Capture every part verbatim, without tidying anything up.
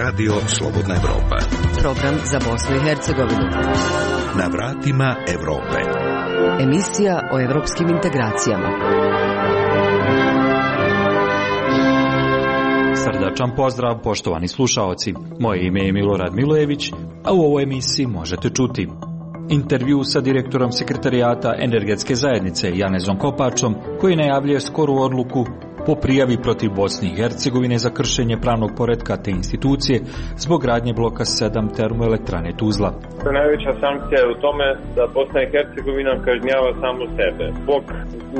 Radio Slobodna Evropa. Program za Bosnu i Hercegovinu. Na vratima Evrope. Emisija o evropskim integracijama. Srdačan pozdrav, poštovani slušaoci. Moje ime je Milorad Milojević, a u ovoj emisiji možete čuti intervju sa direktorom Sekretarijata Energetske zajednice Janezom Kopačom, koji najavljuje skoru odluku po prijavi protiv Bosne i Hercegovine za kršenje pravnog poretka te institucije zbog gradnje bloka sedam termoelektrane Tuzla. Najveća sankcija je u tome da Bosna i Hercegovina kažnjava samo sebe. Bog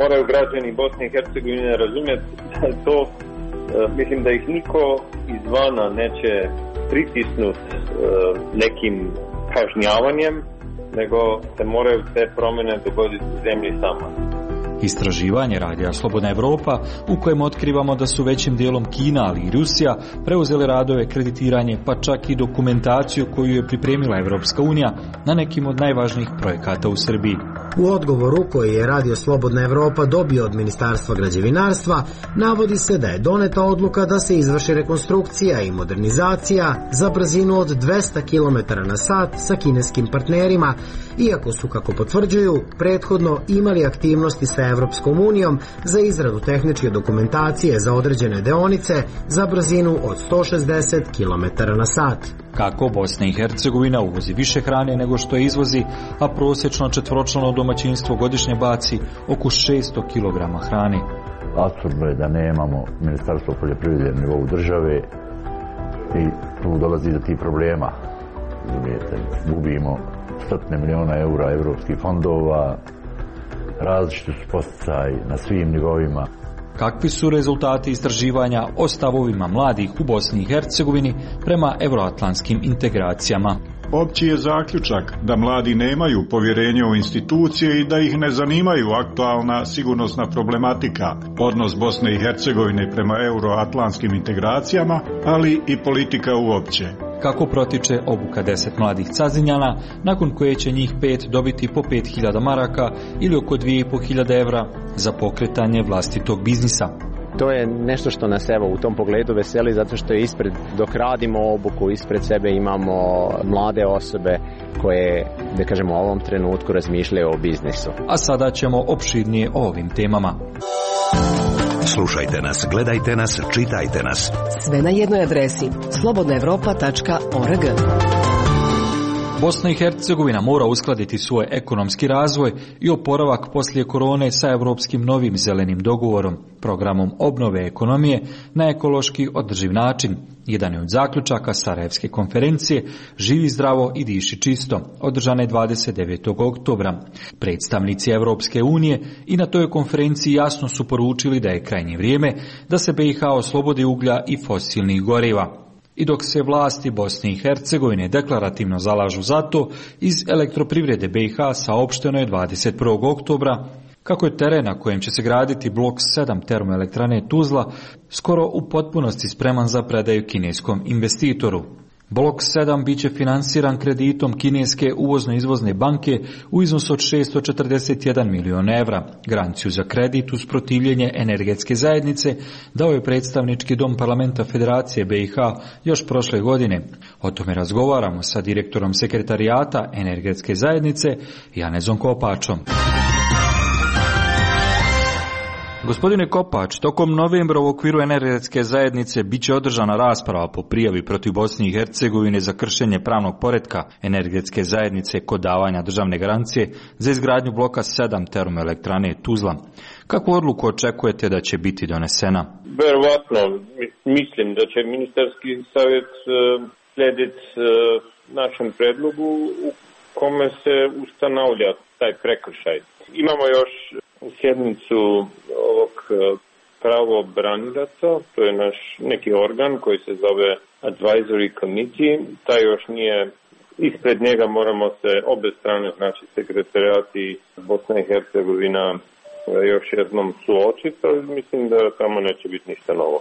moraju građani Bosne i Hercegovine razumjeti da je to, mislim da ih niko izvana neće pritisnuti nekim kažnjavanjem, nego se moraju te promjene dogoditi u zemlji sama. Istraživanje Radija Slobodna Evropa, u kojem otkrivamo da su većim dijelom Kina, ali i Rusija preuzeli radove, kreditiranje, pa čak i dokumentaciju koju je pripremila Evropska unija na nekim od najvažnijih projekata u Srbiji. U odgovoru koji je Radio Slobodna Evropa dobio od Ministarstva građevinarstva, navodi se da je doneta odluka da se izvrši rekonstrukcija i modernizacija za brzinu od dvesta kilometara na sat sa kineskim partnerima, iako su, kako potvrđuju, prethodno imali aktivnosti sa Evropskom unijom za izradu tehničke dokumentacije za određene deonice za brzinu od sto šezdeset kilometara na sat. Kako Bosna i Hercegovina uvozi više hrane nego što je izvozi, a prosječno četvoročlano domaćinstvo godišnje baci oko šesto kilograma hrane. Apsurdno je da nemamo Ministarstvo poljoprivrede na nivou države i tu dolazi do tih problema. Gubimo stotine miliona eura evropskih fondova, različiti su posticaji na svim nivoima. Kakvi su rezultati istraživanja o stavovima mladih u Bosni i Hercegovini prema euroatlantskim integracijama? Opći je zaključak da mladi nemaju povjerenje u institucije i da ih ne zanimaju aktualna sigurnosna problematika, odnos Bosne i Hercegovine prema euroatlantskim integracijama, ali i politika uopće. Kako protiče obuka deset mladih cazinjana, nakon koje će njih pet dobiti po pet hiljada maraka ili oko dvije i po hiljade evra za pokretanje vlastitog biznisa. To je nešto što nas evo u tom pogledu veseli, zato što je ispred, dok radimo obuku, ispred sebe imamo mlade osobe koje, da kažemo, u ovom trenutku razmišljaju o biznisu. A sada ćemo opširnije o ovim temama. Slušajte nas, gledajte nas, čitajte nas. Sve na jednoj adresi slobodna evropa tačka org. Bosna i Hercegovina mora uskladiti svoj ekonomski razvoj i oporavak poslije korone sa europskim novim zelenim dogovorom, programom obnove ekonomije na ekološki održiv način. Jedan je od zaključaka Sarajevske konferencije Živi zdravo i diši čisto, održane dvadeset devetog oktobra. Predstavnici Evropske unije i na toj konferenciji jasno su poručili da je krajnje vrijeme da se B i H oslobodi uglja i fosilnih goriva. I dok se vlasti Bosne i Hercegovine deklarativno zalažu za to, iz elektroprivrede B i H saopšteno je dvadeset prvog oktobra kako je teren na kojem će se graditi blok sedam termoelektrane Tuzla skoro u potpunosti spreman za predaju kineskom investitoru. Blok sedam biće finansiran kreditom kineske uvozno-izvozne banke u iznosu od šesto četrdeset jedan milion evra. Garanciju za kredit uz protivljenje Energetske zajednice dao je predstavnički dom parlamenta Federacije B i H još prošle godine. O tome razgovaramo sa direktorom Sekretarijata Energetske zajednice Janezom Kopačom. Gospodine Kopač, tokom novembra u okviru Energetske zajednice bit će održana rasprava po prijavi protiv Bosne i Hercegovine za kršenje pravnog poretka Energetske zajednice kod davanja državne garancije za izgradnju bloka sedam termoelektrane Tuzla. Kakvu odluku očekujete da će biti donesena? Verovatno, mislim da će ministarski savjet slijediti našem predlogu u kome se ustanovlja taj prekršaj. Imamo još sjednicu ovog pravobranilaca, to je naš neki organ koji se zove Advisory Committee, taj još nije, ispred njega moramo se obe strane, znači sekretarijati Bosna i Hercegovina još jednom suočiti, ali mislim da tamo neće biti ništa novo.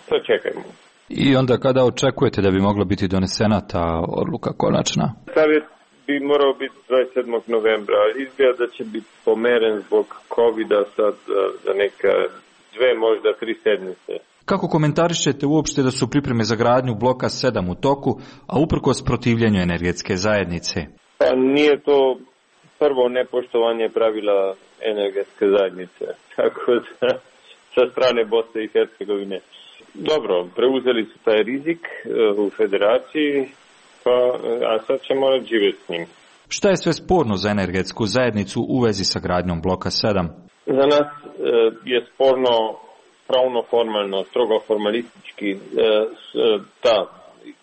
Sad čekajmo. I onda kada očekujete da bi mogla biti donesena ta odluka konačna? Savjet bi morao biti dvadeset sedmog novembra, ali izgleda da će biti pomeren zbog covida sad za neka dve, možda tri sedmice. Kako komentarišete uopšte da su pripreme za gradnju bloka sedam u toku, a uprkos protivljenju energetske zajednice? Pa nije to prvo nepoštovanje pravila energetske zajednice, tako da sa strane Bosne i Hercegovine. Dobro, preuzeli su taj rizik u federaciji, pa, a sad će morati živjeti s njim. Šta je sve sporno za energetsku zajednicu u vezi sa gradnjom bloka sedam? Za nas je sporno pravno formalno, strogo formalistički ta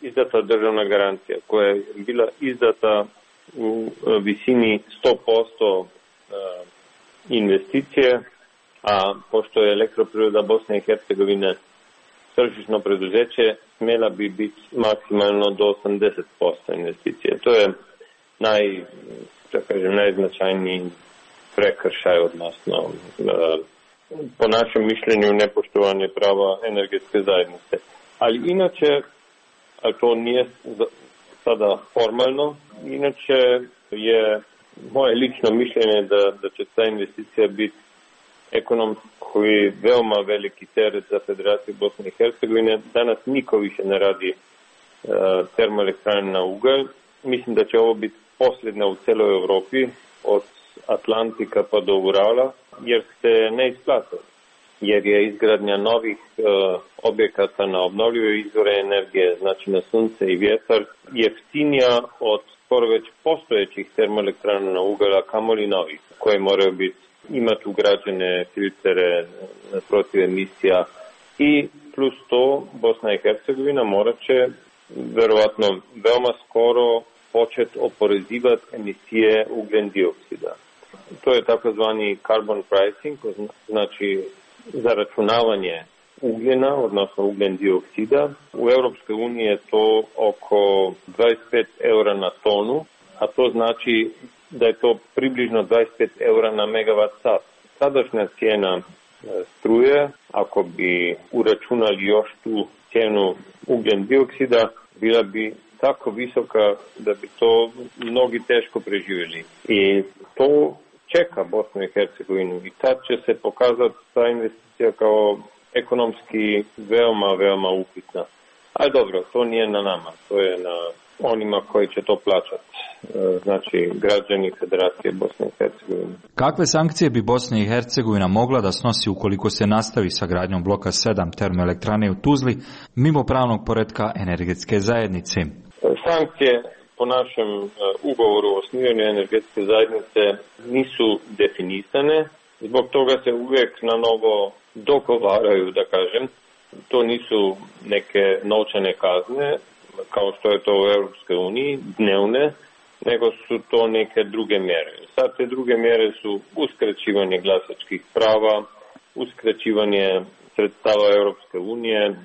izdata državna garancija koja je bila izdata u visini sto posto investicije, a pošto je Elektroprivreda Bosne i Hercegovine tržišno preduzeće, smjela bi biti maksimalno do osamdeset posto investicije. To je naj, da kažem, najznačajniji prekršaj, odnosno po našem mišljenju nepoštovanje prava energetske zajednice. Ali inače, a to nije sada formalno, inače je moje lično mišljenje da, da će ta investicija biti ekonomski veoma veliki teret za Federaciju Bosne i Hercegovine. Danas niko više ne radi uh, termoelektrane na ugalj. Mislim da će ovo biti posljedna u celoj Evropi, od Atlantika pa do Urala, jer se ne isplata. Jer je izgradnja novih uh, objekata na obnovljive izvore energije, znači na sunce i vjetar, jeftinija od skoro već postojećih termoelektrana na ugalj, a kamoli novih, koje moraju biti imati ugrađene filtere protiv emisija i plus to Bosna i Hercegovina morat će verovatno veoma skoro početi oporezivati emisije ugljen dioksida. To je takozvani carbon pricing, znači zaračunavanje ugljena, odnosno ugljen dioksida. U Europskoj uniji je to oko dvadeset pet eura na tonu, a to znači da je to približno dvadeset pet eura na megavat sat. Sadašnja cijena struje, ako bi uračunali još tu cijenu ugljen dioksida, bila bi tako visoka da bi to mnogi teško preživjeli. I to čeka Bosnu i Hercegovinu i tad će se pokazati ta investicija kao ekonomski veoma, veoma upitna. Ali dobro, to nije na nama, to je na onima koji će to plaćati, znači građani Federacije Bosne i Hercegovine. Kakve sankcije bi Bosna i Hercegovina mogla da snosi ukoliko se nastavi sa gradnjom bloka sedam termoelektrane u Tuzli mimo pravnog poretka energetske zajednice? Sankcije po našem ugovoru o osnivanju energetske zajednice nisu definisane, zbog toga se uvijek na novo dogovaraju, da kažem. To nisu neke novčane kazne, kao što je to u Europskoj uniji, dnevne, nego su to neke druge mjere. Sad te druge mjere su uskraćivanje glasačkih prava, uskraćivanje sredstava Europske unije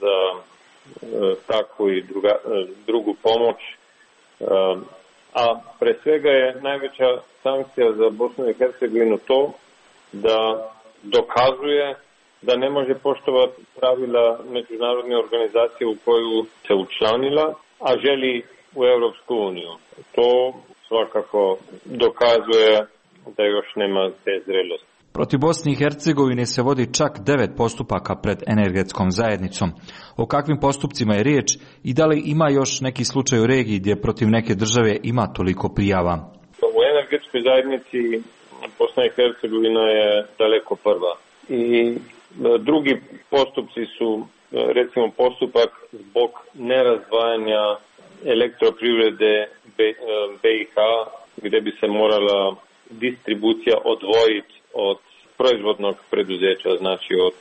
za e, takvu i druga, e, drugu pomoć, e, a pre svega je najveća sankcija za Bosnu i Hercegovinu to da dokazuje da ne može poštovati pravila međunarodne organizacije u koju se učlanila, a želi u Europsku uniju. To svakako dokazuje da još nema te zrelosti. Protiv Bosne i Hercegovine se vodi čak devet postupaka pred energetskom zajednicom. O kakvim postupcima je riječ i da li ima još neki slučaj u regiji gdje protiv neke države ima toliko prijava? U energetskoj zajednici Bosna i Hercegovina je daleko prva. I drugi postupci su, recimo, postupak zbog nerazdvajanja elektroprivrede B i H, gdje bi se morala distribucija odvojiti od proizvodnog preduzeća, znači od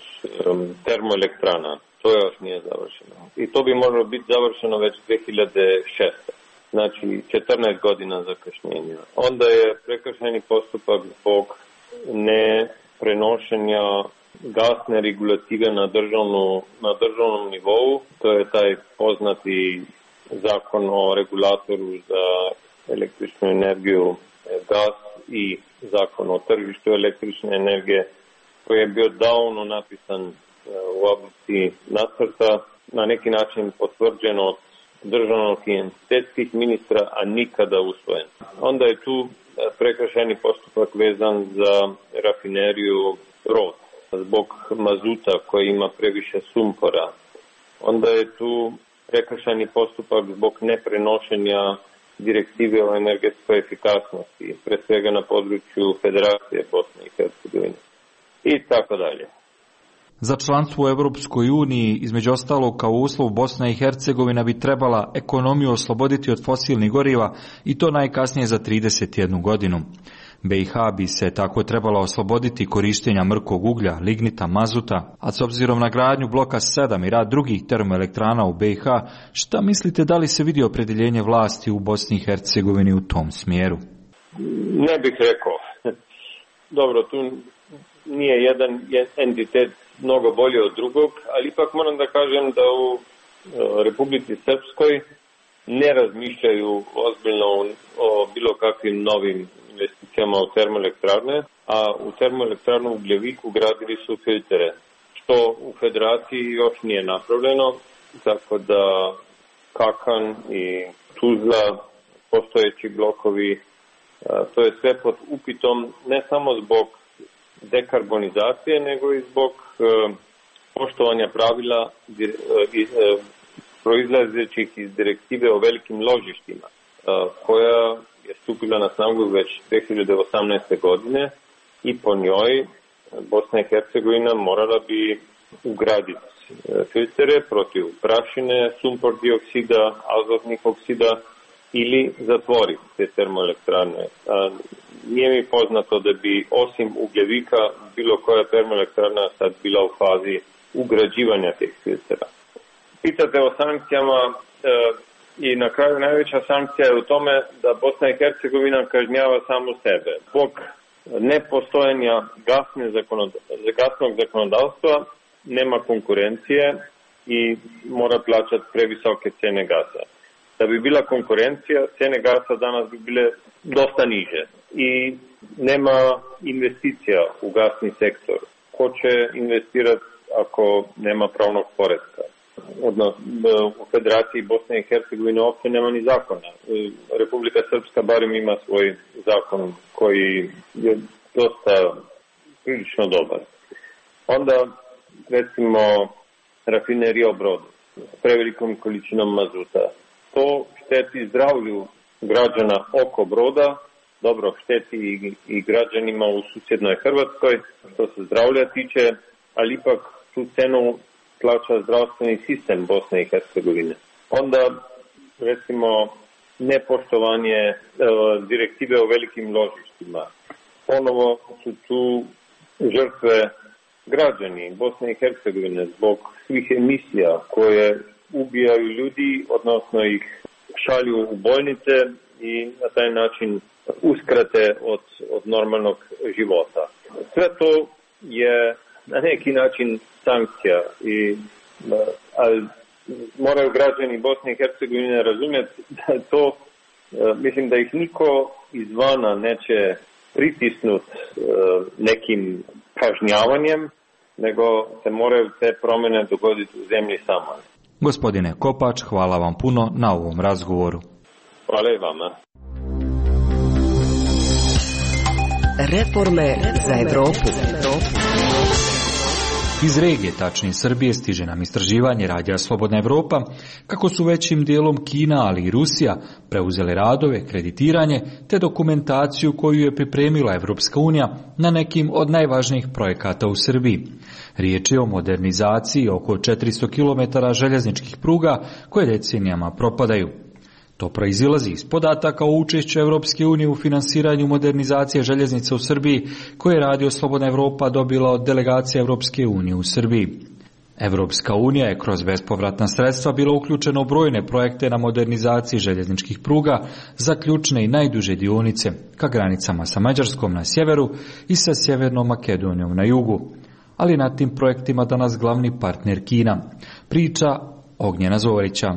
um, termoelektrana. To još nije završeno. I to bi moralo biti završeno već dvije hiljade šeste. Znači četrnaest godina zakašnjenja. Onda je prekršajni postupak zbog ne prenošenja gasne regulative na, državnu, na državnom nivou. To je taj poznati zakon o regulatoru za električnu energiju, gas i zakon o tržištu električne energije, koji je bio davno napisan u oblasti nacrta, na neki način potvrđen od državnog i entitetskih ministra, a nikada usvojen. Onda je tu prekršajni postupak vezan za rafineriju Brod. zbog mazuta koji ima previše sumpora. Onda je tu prekršajni postupak zbog neprenošenja direktive o energetskoj efikasnosti, pre svega na području Federacije Bosne i Hercegovine i tako dalje. Za članstvo u Evropskoj uniji, između ostalog kao uslov, Bosna i Hercegovina bi trebala ekonomiju osloboditi od fosilnih goriva i to najkasnije za trideset jednu godinu. be i ha bi se tako trebala osloboditi korištenja mrkog uglja, lignita, mazuta, a s obzirom na gradnju bloka sedam i rad drugih termoelektrana u be i ha, šta mislite da li se vidi opredjeljenje vlasti u Bosni i Hercegovini u tom smjeru? Ne bih rekao. Dobro, tu nije jedan entitet mnogo bolji od drugog, ali ipak moram da kažem da u Republici Srpskoj ne razmišljaju ozbiljno o bilo kakvim novim investicijama u termoelektrane, a u termoelektranu u Gljeviku gradili su filtere, što u Federaciji još nije napravljeno, tako da Kakan i Tuzla, postojeći blokovi, to je sve pod upitom ne samo zbog dekarbonizacije, nego i zbog poštovanja pravila proizlazećih iz direktive o velikim ložištima, koja je stupila na snagu već dve hiljade osamnaeste. godine i po njoj Bosna i Hercegovina morala bi ugraditi filtere protiv prašine, sumpor dioksida, azotnih oksida ili zatvoriti te termoelektrane. Nije mi poznato da bi osim Ugljevika bilo koja termoelektrana sad bila u fazi ugrađivanja tih filtera. Pitate o sankcijama i na kraju najveća sankcija je u tome da Bosna i Hercegovina kažnjava samu sebe. Zbog nepostojanja gasnog zakonodavstva nema konkurencije i mora plaćati previsoke cene gasa. Da bi bila konkurencija, cene gasa danas bi bile dosta niže i nema investicija u gasni sektor. Ko će investirati ako nema pravnog poretka? U Federaciji Bosne i Hercegovine uopće nema ni zakona. Republika Srpska barem ima svoj zakon koji je dosta prilično dobar. Onda, recimo, rafinerija u Brodu s prevelikom količinom mazuta. To šteti zdravlju građana oko Broda, dobro, šteti i građanima u susjednoj Hrvatskoj, što se zdravlja tiče, ali ipak tu cenu plaća zdravstveni sistem Bosne i Hercegovine. Onda, recimo, nepoštovanje e, direktive o velikim ložištima. Ponovo su tu žrtve građani Bosne i Hercegovine zbog svih emisija koje ubijaju ljudi, odnosno ih šalju u bolnice i na taj način uskrate od, od normalnog života. Sve to je na neki način sankcija, i, ali moraju građani Bosne i Hercegovine razumjeti da to, mislim da ih niko izvana neće pritisnuti nekim kažnjavanjem, nego se moraju te promjene dogoditi u zemlji sama. Gospodine Kopač, hvala vam puno na ovom razgovoru. Hvala i vama. Reforme za Evropu. Iz regije, tačnije Srbije, stiže nam istraživanje Radija Slobodna Evropa kako su većim dijelom Kina, ali i Rusija preuzele radove, kreditiranje te dokumentaciju koju je pripremila Evropska unija na nekim od najvažnijih projekata u Srbiji. Riječ je o modernizaciji oko četiristo kilometara željezničkih pruga koje decenijama propadaju. To proizilazi iz podataka o učešću Evropske unije u finansiranju modernizacije željeznica u Srbiji koje je Radio Slobodna Evropa dobila od delegacije Evropske unije u Srbiji. Evropska unija je kroz bespovratna sredstva bila uključena u brojne projekte na modernizaciji željezničkih pruga za ključne i najduže dionice ka granicama sa Mađarskom na sjeveru i sa Sjevernom Makedonijom na jugu. Ali na tim projektima danas glavni partner Kina. Priča Ognjena Zorića.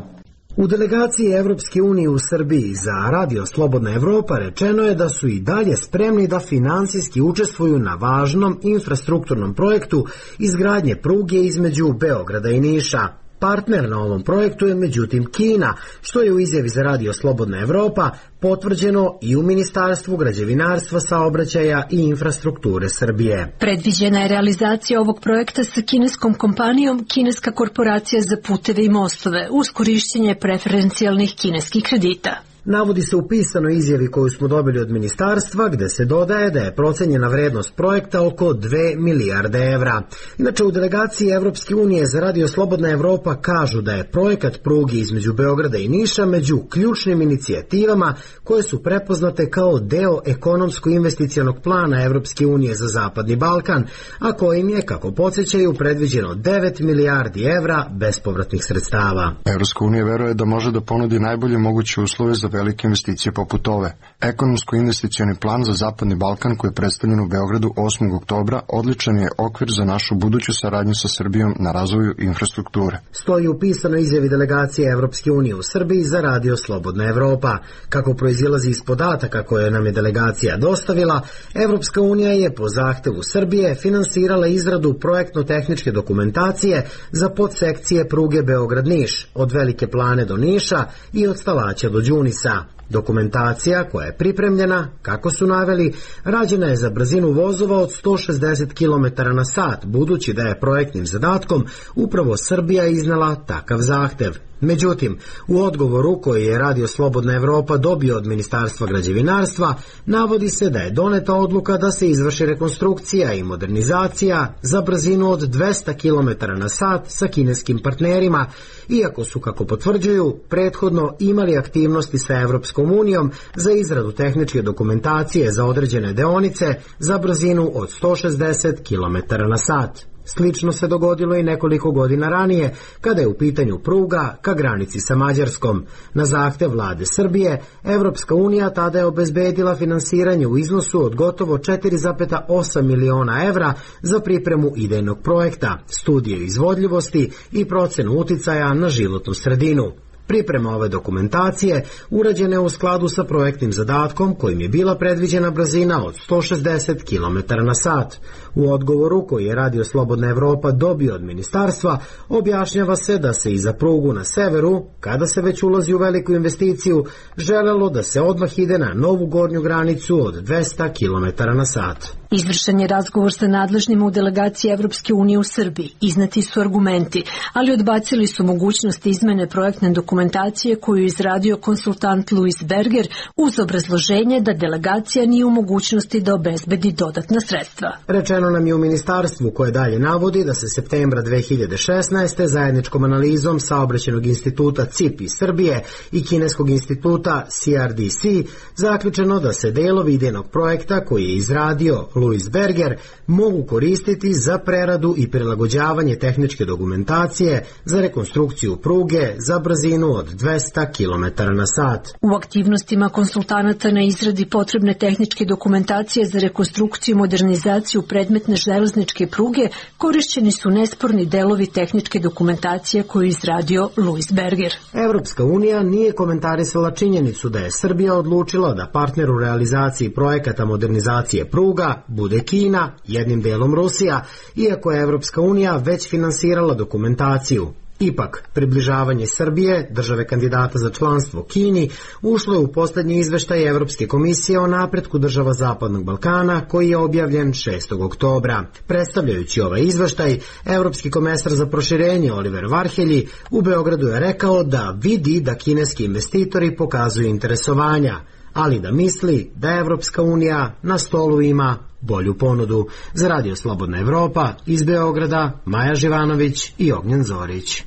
U delegaciji Evropske unije u Srbiji za Radio Slobodna Evropa rečeno je da su i dalje spremni da finansijski učestvuju na važnom infrastrukturnom projektu izgradnje pruge između Beograda i Niša. Partner na ovom projektu je međutim Kina, što je u izjavi za Radio Slobodna Evropa potvrđeno i u Ministarstvu građevinarstva, saobraćaja i infrastrukture Srbije. Predviđena je realizacija ovog projekta sa kineskom kompanijom Kineska korporacija za puteve i mostove uz korišćenje preferencijalnih kineskih kredita. Navodi se u pisanoj izjavi koju smo dobili od ministarstva, gde se dodaje da je procenjena vrednost projekta oko dve milijarde evra. Inače, u delegaciji Evropske unije za Radio Slobodna Evropa kažu da je projekat pruge između Beograda i Niša među ključnim inicijativama koje su prepoznate kao deo ekonomsko-investicionog plana Evropske unije za Zapadni Balkan, a kojim je, kako podsjećaju, predviđeno devet milijardi evra bespovratnih sredstava. Evropska unija veruje da može da ponudi najbolje moguće uslove za velike investicije poput ove. Ekonomsko-investicioni plan za Zapadni Balkan koji je predstavljen u Beogradu osmog oktobra odličan je okvir za našu buduću saradnju sa Srbijom na razvoju infrastrukture. Stoji u pisanoj izjavi delegacije Evropske unije u Srbiji za Radio Slobodna Evropa. Kako proizilazi iz podataka koje nam je delegacija dostavila, Evropska unija je po zahtevu Srbije finansirala izradu projektno-tehničke dokumentacije za podsekcije pruge Beograd-Niš, od Velike Plane do Niša i od Stalaća do Đunisa. Dokumentacija koja je pripremljena, kako su naveli, rađena je za brzinu vozova od sto šezdeset kilometara na sat, budući da je projektnim zadatkom upravo Srbija iznala takav zahtev. Međutim, u odgovoru koji je Radio Slobodna Evropa dobio od Ministarstva građevinarstva, navodi se da je doneta odluka da se izvrši rekonstrukcija i modernizacija za brzinu od dvesta kilometara na sat sa kineskim partnerima, iako su, kako potvrđuju, prethodno imali aktivnosti sa Evropskom unijom za izradu tehničke dokumentacije za određene deonice za brzinu od sto šezdeset kilometara na sat. Slično se dogodilo i nekoliko godina ranije, kada je u pitanju pruga ka granici sa Mađarskom. Na zahtev vlade Srbije, Evropska unija tada je obezbedila finansiranje u iznosu od gotovo četiri zarez osam miliona evra za pripremu idejnog projekta, studije izvodljivosti i procenu uticaja na životnu sredinu. Priprema ove dokumentacije urađena je u skladu sa projektnim zadatkom kojim je bila predviđena brzina od sto šezdeset kilometara na sat. U odgovoru koji je Radio Slobodna Evropa dobio od ministarstva, objašnjava se da se i za prugu na severu, kada se već ulazi u veliku investiciju, želelo da se odmah ide na novu gornju granicu od dvesta kilometara na sat. Izvršen je razgovor sa nadležnima u delegaciji Evropske unije u Srbiji. Izneti su argumenti, ali odbacili su mogućnost izmene projektne dokumentacije koju je izradio konsultant Louis Berger uz obrazloženje da delegacija nije u mogućnosti da obezbedi dodatna sredstva. Rečeno nam je u ministarstvu koje dalje navodi da se septembra dve hiljade šesnaeste. zajedničkom analizom Saobraćajnog instituta C I P iz Srbije i Kineskog instituta C R D C zaključeno da se delovi idejnog projekta koji je izradio Louis Berger mogu koristiti za preradu i prilagođavanje tehničke dokumentacije za rekonstrukciju pruge za brzinu od dvesta kilometara na sat. U aktivnostima konsultanata na izradi potrebne tehničke dokumentacije za rekonstrukciju i modernizaciju predmetne železničke pruge korišćeni su nesporni delovi tehničke dokumentacije koju je izradio Louis Berger. Evropska unija nije komentarisala činjenicu da je Srbija odlučila da partner u realizaciji projekata modernizacije pruga bude Kina, jednim delom Rusija, iako je Evropska unija već finansirala dokumentaciju. Ipak, približavanje Srbije, države kandidata za članstvo Kini, ušlo je u posljednji izveštaj Evropske komisije o napretku država Zapadnog Balkana, koji je objavljen šestog oktobra. Predstavljajući ovaj izveštaj, Evropski komesar za proširenje Oliver Varhelji u Beogradu je rekao da vidi da kineski investitori pokazuju interesovanja, ali da misli da Evropska unija na stolu ima bolju ponudu. Za Radio Slobodna Evropa iz Beograda, Maja Živanović i Ognjen Zorić.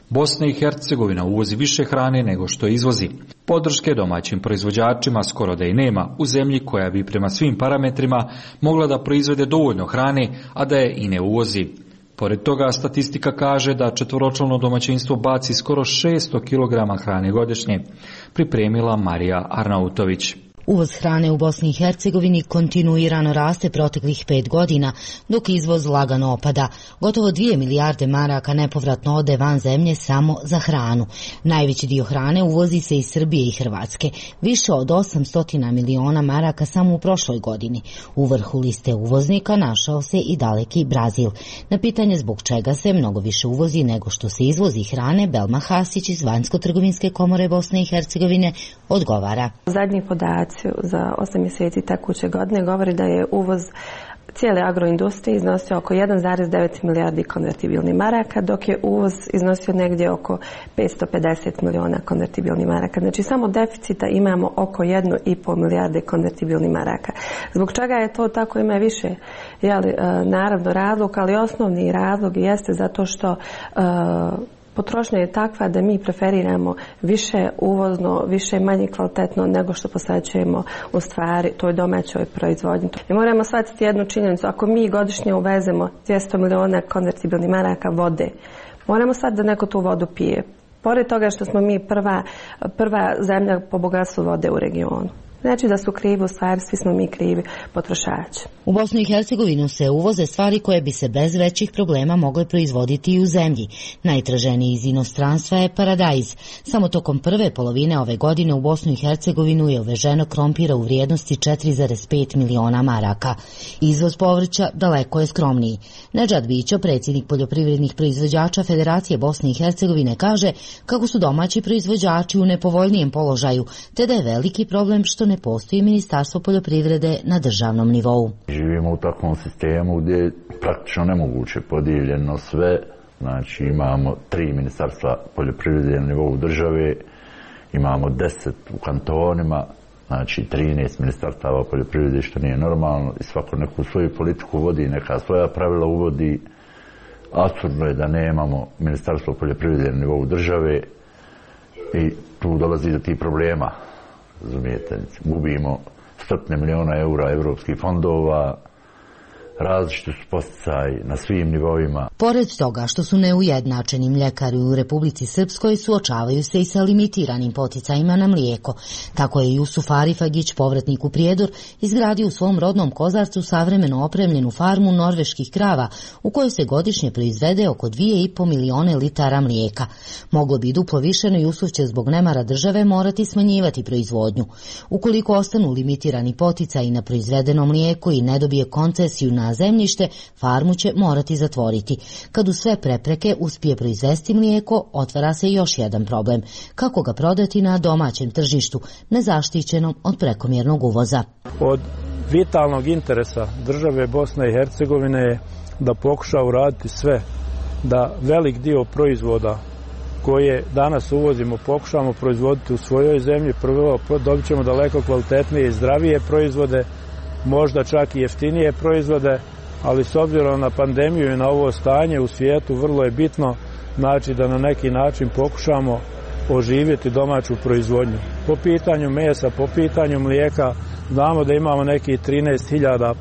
Bosna i Hercegovina uvozi više hrane nego što izvozi. Podrške domaćim proizvođačima skoro da i nema u zemlji koja bi prema svim parametrima mogla da proizvede dovoljno hrane, a da je i ne uvozi. Pored toga, statistika kaže da četvoročlano domaćinstvo baci skoro šesto kilograma hrane godišnje, pripremila Marija Arnautović. Uvoz hrane u Bosni i Hercegovini kontinuirano raste proteklih pet godina, dok izvoz lagano opada. Gotovo dvije milijarde maraka nepovratno ode van zemlje samo za hranu. Najveći dio hrane uvozi se iz Srbije i Hrvatske, više od osamsto miliona maraka samo u prošloj godini. U vrhu liste uvoznika našao se i daleki Brazil. Na pitanje zbog čega se mnogo više uvozi nego što se izvozi hrane, Belma Hasić iz Vanjsko-trgovinske komore Bosne i Hercegovine odgovara. Zadnji podaci za osam mjeseci tekuće godine govori da je uvoz cijele agroindustrije iznosio oko jedan zarez devet milijardi konvertibilnih maraka, dok je uvoz iznosio negdje oko petsto pedeset miliona konvertibilnih maraka. Znači samo deficita imamo oko jednu i pol milijarde konvertibilnih maraka. Zbog čega je to tako, ima više jeli, naravno razlog, ali osnovni razlog jeste zato što uh, potrošnja je takva da mi preferiramo više uvozno, više manje kvalitetno nego što posvećujemo u stvari toj domaćoj proizvodnji. I moramo shvatiti jednu činjenicu, ako mi godišnje uvezemo dvjesto miliona konvertibilnih maraka vode, moramo shvatiti da neko tu vodu pije. Pored toga što smo mi prva, prva zemlja po bogatstvu vode u regionu. Znači da su krivi, u stvari svi smo mi krivi potrošači. U Bosnu i Hercegovinu se uvoze stvari koje bi se bez većih problema mogle proizvoditi i u zemlji. Najtraženiji iz inostranstva je paradajz. Samo tokom prve polovine ove godine u Bosnu i Hercegovinu je uveženo krompira u vrijednosti četiri zarez pet miliona maraka. Izvoz povrća daleko je skromniji. Nedžad Bićo, predsjednik poljoprivrednih proizvođača Federacije Bosne i Hercegovine, kaže kako su domaći proizvođači u nepovoljnijem položaju, te da je veliki problem što ne postoji Ministarstvo poljoprivrede na državnom nivou. Živimo u takvom sistemu gdje je praktično nemoguće podijeljeno sve. Znači imamo tri ministarstva poljoprivrede na nivou države, imamo deset u kantonima, znači trinaest ministarstava poljoprivrede, što nije normalno, i svako neku svoju politiku vodi, neka svoja pravila uvodi. Apsurdno je da nemamo Ministarstvo poljoprivrede na nivou države i tu dolazi do tih problema. Razumijete, gubimo stotine miliona eura evropskih fondova, različiti su posticaji na svim nivoima. Pored toga što su neujednačeni mljekari u Republici Srpskoj, suočavaju se i sa limitiranim poticajima na mlijeko. Tako je Jusuf Arifagić, povratnik u Prijedor, izgradio u svom rodnom Kozarcu savremeno opremljenu farmu norveških krava, u kojoj se godišnje proizvede oko dvije i po milione litara mlijeka. Moglo bi duplo više, no Jusuf će zbog nemara države morati smanjivati proizvodnju. Ukoliko ostanu limitirani poticaji na proizvedeno mlijeko i ne dobije koncesiju na zemljište, farmu će morati zatvoriti. Kad u sve prepreke uspije proizvesti mlijeko, otvara se još jedan problem. Kako ga prodati na domaćem tržištu, nezaštićenom od prekomjernog uvoza? Od vitalnog interesa države Bosne i Hercegovine je da pokuša uraditi sve da velik dio proizvoda koje danas uvozimo pokušamo proizvoditi u svojoj zemlji. Prvo dobit ćemo daleko kvalitetnije i zdravije proizvode, možda čak i jeftinije proizvode, ali s obzirom na pandemiju i na ovo stanje u svijetu vrlo je bitno, znači da na neki način pokušamo oživjeti domaću proizvodnju. Po pitanju mesa, po pitanju mlijeka, znamo da imamo nekih trinaest hiljada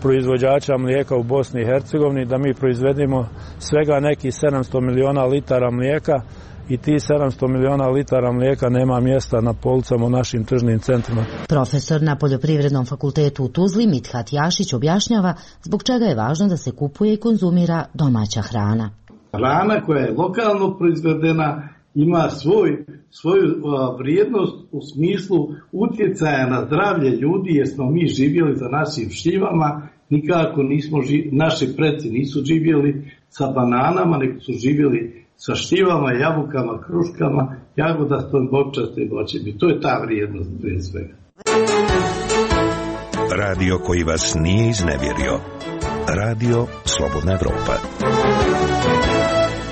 proizvođača mlijeka u Bosni i Hercegovini, da mi proizvedemo svega nekih sedamsto miliona litara mlijeka i ti sedamsto miliona litara mlijeka nema mjesta na policama u našim tržnim centrima. Profesor na Poljoprivrednom fakultetu u Tuzli Mithat Jašić objašnjava zbog čega je važno da se kupuje i konzumira domaća hrana. Hrana koja je lokalno proizvedena ima svoj, svoju uh, vrijednost u smislu utjecaja na zdravlje ljudi, jer smo mi živjeli za našim šljivama, nikako nismo živjeli, naši preci nisu živjeli sa bananama, nego su živjeli sa šljivama, jabukama, kruškama, jagodastom, bokčastim voćem. I to je ta vrijednost prije svega. Radio koji vas nije iznevjerio. Radio Slobodna Evropa.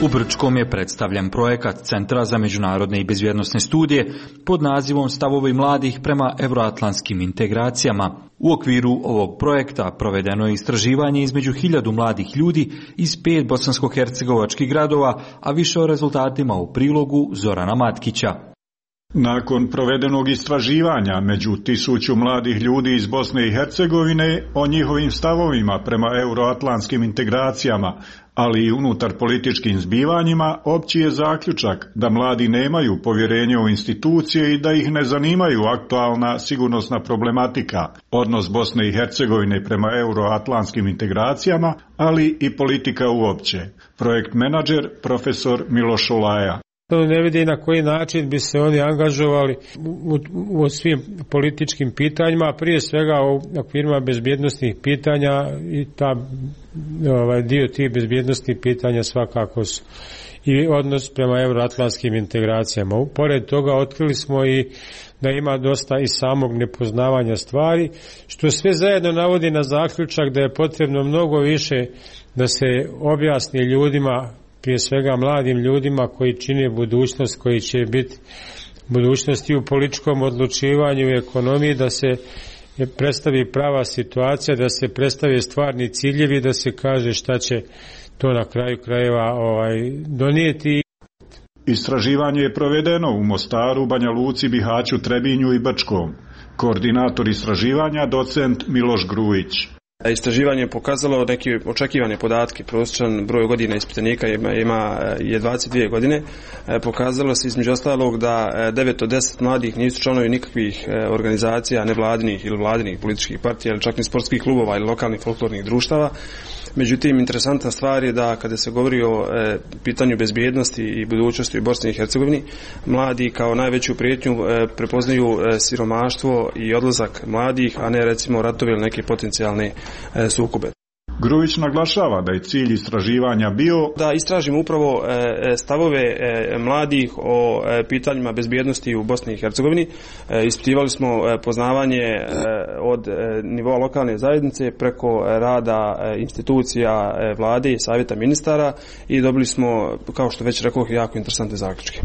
U Brčkom je predstavljen projekat Centra za međunarodne i bezbjednosne studije pod nazivom Stavovi mladih prema euroatlantskim integracijama. U okviru ovog projekta provedeno je istraživanje između hiljadu mladih ljudi iz pet bosansko-hercegovačkih gradova, a više o rezultatima u prilogu Zorana Matkića. Nakon provedenog istraživanja među tisuću mladih ljudi iz Bosne i Hercegovine o njihovim stavovima prema euroatlantskim integracijama, ali i unutar političkim zbivanjima, opći je zaključak da mladi nemaju povjerenje u institucije i da ih ne zanimaju aktualna sigurnosna problematika, odnos Bosne i Hercegovine prema euroatlantskim integracijama, ali i politika uopće. Projekt menadžer profesor Miloš Olaja. Ne vidi na koji način bi se oni angažovali u, u svim političkim pitanjima, prije svega u okvirima bezbjednostnih pitanja i ta, ovaj, dio tih bezbjednostnih pitanja svakako su i odnos prema euroatlantskim integracijama. Pored toga otkrili smo i da ima dosta i samog nepoznavanja stvari, što sve zajedno navodi na zaključak da je potrebno mnogo više da se objasni ljudima, prije svega mladim ljudima koji čine budućnost, koji će biti budućnosti u političkom odlučivanju i ekonomiji, da se predstavi prava situacija, da se predstavi stvarni ciljevi, da se kaže šta će to na kraju krajeva ovaj, donijeti. Istraživanje je provedeno u Mostaru, Banja Luci, Bihaću, Trebinju i Brčkom. Koordinator istraživanja docent Miloš Grujić. Istraživanje je pokazalo neke očekivane podatke, prosječan broj godina ispitanika ima, ima je dvadeset dvije godine. Pokazalo se između ostalog da devet od deset mladih nisu članovi nikakvih organizacija, nevladinih ili vladinih političkih partija, ili čak ni sportskih klubova ili lokalnih folklornih društava. Međutim, interesantna stvar je da kada se govori o e, pitanju bezbjednosti i budućnosti u Bosni i Hercegovini, mladi kao najveću prijetnju e, prepoznaju e, siromaštvo i odlazak mladih, a ne recimo ratovi ili neke potencijalne e, sukobe. Grujić naglašava da je cilj istraživanja bio da istražimo upravo stavove mladih o pitanjima bezbjednosti u Bosni i Hercegovini. Ispitivali smo poznavanje od nivoa lokalne zajednice preko rada institucija vlade i savjeta ministara i dobili smo, kao što već rekao, jako interesantne zaključke.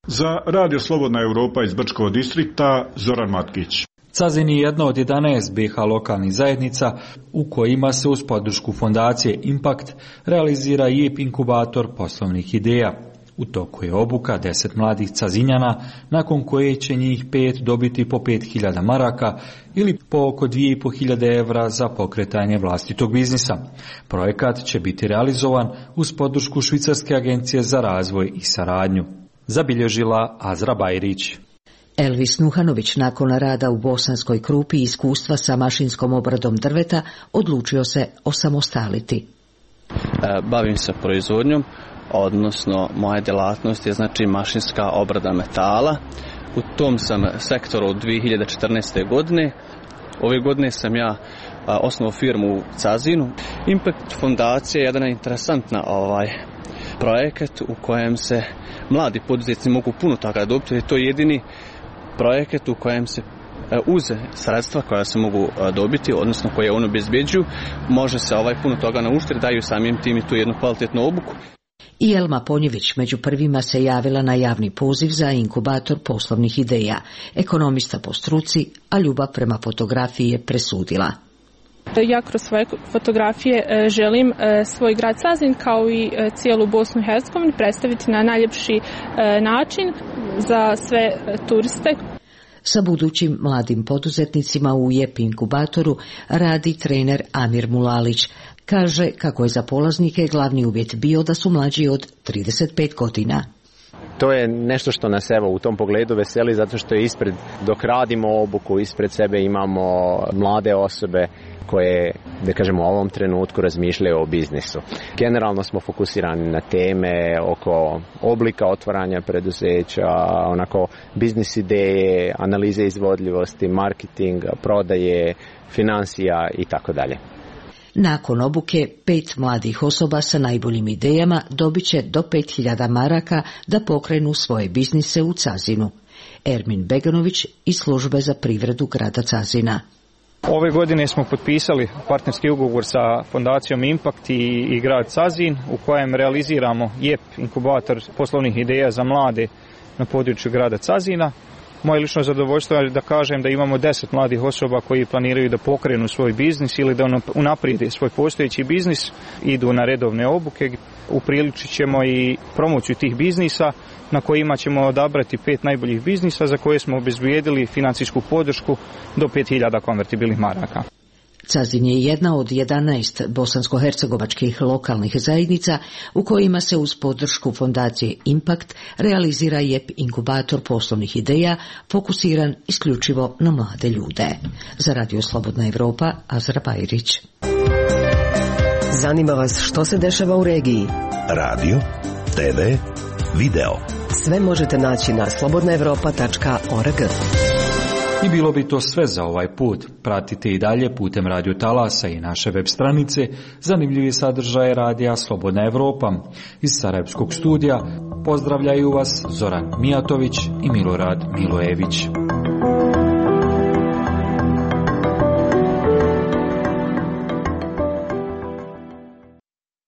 Za Radio Slobodna Europa iz Brčkog distrikta Zoran Matkić. Cazin je jedna od jedanaest B H lokalnih zajednica u kojima se uz podršku fondacije Impact realizira I E P inkubator poslovnih ideja. U toku je obuka deset mladih Cazinjana, nakon koje će njih pet dobiti po pet hiljada maraka ili po oko dvije i po hiljade evra za pokretanje vlastitog biznisa. Projekat će biti realizovan uz podršku Švicarske agencije za razvoj i saradnju. Zabilježila Azra Bajrić. Elvis Nuhanović nakon rada u Bosanskoj Krupi i iskustva sa mašinskom obradom drveta odlučio se osamostaliti. Bavim se proizvodnjom, odnosno moja djelatnost je znači mašinska obrada metala. U tom sam sektoru od dvije hiljade četrnaeste. godine. Ove godine sam ja osnovao firmu u Cazinu. Impact fondacija je jedna interesantna ovaj projekat u kojem se mladi poduzetnici mogu puno toga dobiti. To je jedini projekat u kojem se uz sredstva koja se mogu dobiti, odnosno koje ono obezbeđuju, može se ovaj puno toga naučiti, daju samim tim i tu jednu kvalitetnu obuku. I Elma Ponjević među prvima se javila na javni poziv za inkubator poslovnih ideja. Ekonomista po struci, a ljubav prema fotografiji je presudila. Ja kroz svoje fotografije želim svoj grad Cazin kao i cijelu Bosnu i Hercegovinu predstaviti na najljepši način za sve turiste. Sa budućim mladim poduzetnicima u I E P inkubatoru radi trener Amir Mulalić. Kaže kako je za polaznike glavni uvjet bio da su mlađi od trideset pet godina. To je nešto što nas evo u tom pogledu veseli zato što je ispred, dok radimo obuku, ispred sebe imamo mlade osobe koje, da kažemo, u ovom trenutku razmišljaju o biznisu. Generalno smo fokusirani na teme oko oblika otvaranja preduzeća, onako biznis ideje, analize izvodljivosti, marketing, prodaje, financija i tako dalje. Nakon obuke, pet mladih osoba sa najboljim idejama dobit će do pet hiljada maraka da pokrenu svoje biznise u Cazinu. Ermin Beganović iz službe za privredu grada Cazina. Ove godine smo potpisali partnerski ugovor sa fondacijom Impact i, i grad Cazin u kojem realiziramo I E P inkubator poslovnih ideja za mlade na području grada Cazina. Moje lično zadovoljstvo je da kažem da imamo deset mladih osoba koji planiraju da pokrenu svoj biznis ili da unaprijede svoj postojeći biznis, idu na redovne obuke. Upriličit ćemo i promociju tih biznisa na kojima ćemo odabrati pet najboljih biznisa za koje smo obezbijedili financijsku podršku do pet hiljada konvertibilnih maraka. Cazin je jedna od jedanaest bosansko-hercegovačkih lokalnih zajednica u kojima se uz podršku fondacije Impact realizira J E P inkubator poslovnih ideja fokusiran isključivo na mlade ljude. Za Radio Slobodna Evropa, Azra Bajrić. Zanima vas što se dešava u regiji? Radio, te ve, video. Sve možete naći na slobodna evropa tačka org. I bilo bi to sve za ovaj put. Pratite i dalje putem Radio Talasa i naše web stranice zanimljivi sadržaje radija Slobodna Evropa. Iz Sarajevskog studija pozdravljaju vas Zoran Mijatović i Milorad Milojević.